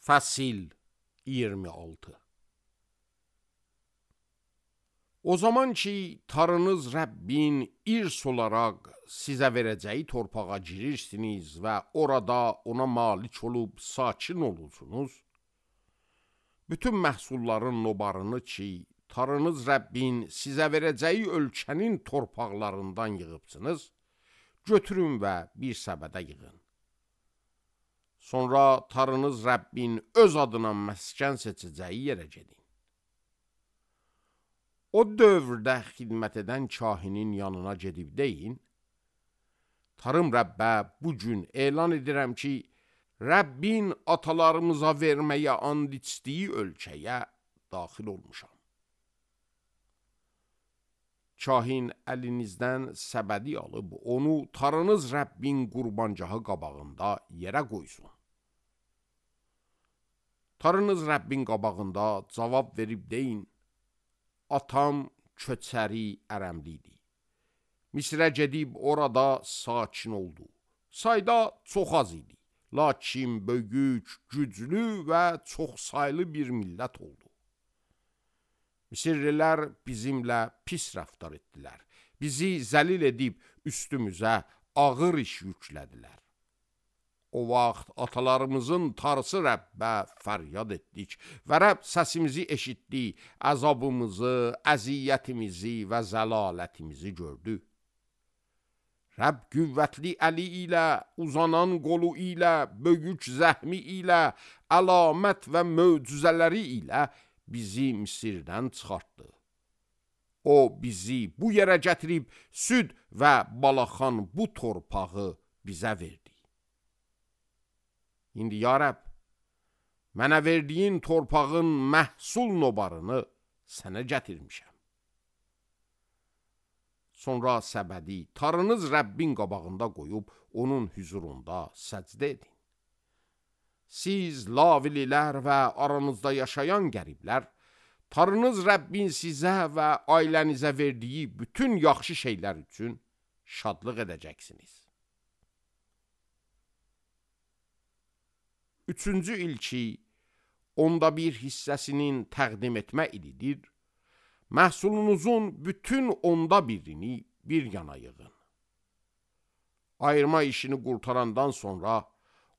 Fəsil 26. O zaman ki Tanrınız Rəbbin irs olaraq sizə verəcəyi torpağa girirsiniz və orada ona malik olub sakin olursunuz, bütün məhsulların nobarını ki Tanrınız Rəbbin sizə verəcəyi ölkənin torpaqlarından yığıbsınız, götürün və bir səbədə yığın. Sonra Tanrınız Rəbbin öz adına məskən seçəcəyi yerə gedin. O dövrdə xidmət edən kahinin yanına gedib deyin, Tanrım Rəbbə bu gün elan edirəm ki, Rəbbin atalarımıza verməyə and içdiyi ölkəyə daxil olmuşam. Kahin əlinizdən səbədi alıb, onu Tanrınız Rəbbin qurbancahı qabağında yerə qoysun. Tanrınız Rəbbin qabağında cavab verib deyin, atam köçəri ərəmlidir. Misrə gedib orada sakin oldu. Sayda çox az idi. Lakin böyük, güclü və çoxsaylı bir millət oldu. Misirlilər bizimlə pis rəftar etdilər. Bizi zəlil edib üstümüzə ağır iş yüklədilər. O vaxt atalarımızın Tanrısı Rəbbə fəryad etdik və Rəbb səsimizi eşitdi, əzabımızı, əziyyətimizi və zəlalətimizi gördü. Rəbb qüvvətli əli ilə, uzanan qolu ilə, böyük zəhmi ilə, əlamət və möcüzələri ilə bizi Misirdən çıxartdı. O bizi bu yerə gətirib süd və balaxan bu torpağı bizə verdi. İndi ya Rəbb, mənə verdiyin torpağın məhsul nobarını sənə gətirmişəm. Sonra səbədi Tanrınız Rəbbin qabağında qoyub onun hüzurunda səcdə edin. Siz lavililər və aranızda yaşayan qəriblər, Tanrınız Rəbbin sizə və ailənizə verdiyi bütün yaxşı şeylər üçün şadlıq edəcəksiniz. Üçüncü il ki, onda bir hissəsinin təqdim etmə ilidir, məhsulunuzun bütün onda birini bir yana yığın. Ayırma işini qurtarandan sonra,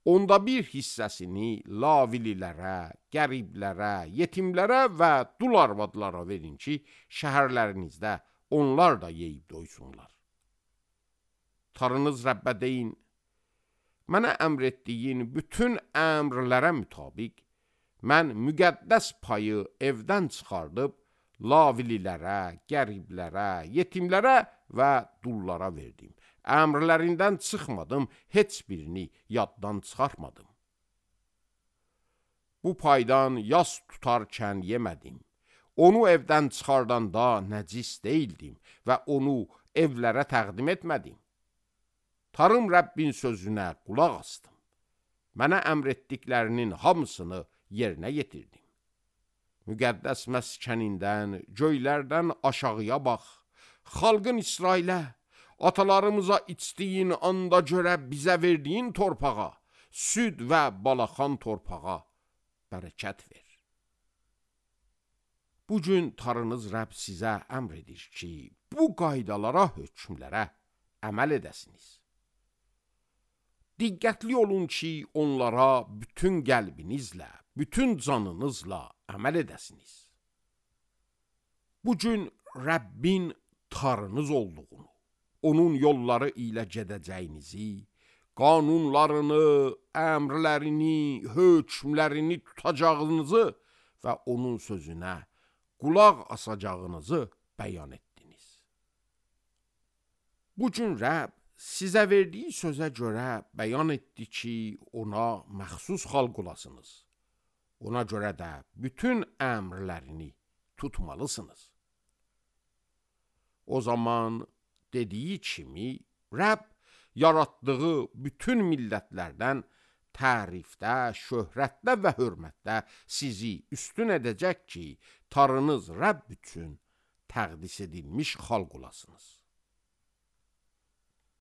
onda bir hissəsini lavililərə, qəriblərə, yetimlərə və dul arvadlara verin ki, şəhərlərinizdə onlar da yeyib doysunlar. Tanrınız Rəbbə deyin, mənə əmr etdiyin bütün əmrlərə mütabiq, mən müqəddəs payı evdən çıxardıb, lavililərə, qəriblərə, yetimlərə və dullara verdim. Əmrlərindən çıxmadım, heç birini yaddan çıxartmadım. Bu paydan yas tutarkən yemədim. Onu evdən çıxardanda nəcis deyildim və onu evlərə təqdim etmədim. Tanrım Rəbbin sözünə qulaq asdım. Mənə əmr etdiklərinin hamısını yerinə yetirdim. Müqəddəs məskənindən, göylərdən aşağıya bax. Xalqın İsrailə, atalarımıza içdiyin anda görə bizə verdiyin torpağa, süd və balaxan torpağa bərəkət ver. Bugün Tanrınız Rəbb sizə əmr edir ki, bu qaydalara, hökmlərə əməl edəsiniz. Diqqətli olun ki, onlara bütün qəlbinizlə, bütün canınızla əməl edəsiniz. Bugün Rəbbin Tanrınız olduğunu, onun yolları ilə gedəcəyinizi, qanunlarını, əmrlərini, hökmlərini tutacağınızı və onun sözünə qulaq asacağınızı bəyan etdiniz. Bugün Rəbb sizə verdiyi sözə görə bəyan etdi ki, ona məxsus xalq olasınız. Ona görə də bütün əmrlərini tutmalısınız. O zaman dediyi kimi, Rəbb yaratdığı bütün millətlərdən tərifdə, şöhrətdə və hörmətdə sizi üstün edəcək ki, Tanrınız Rəbb üçün təqdis edilmiş xalq olasınız.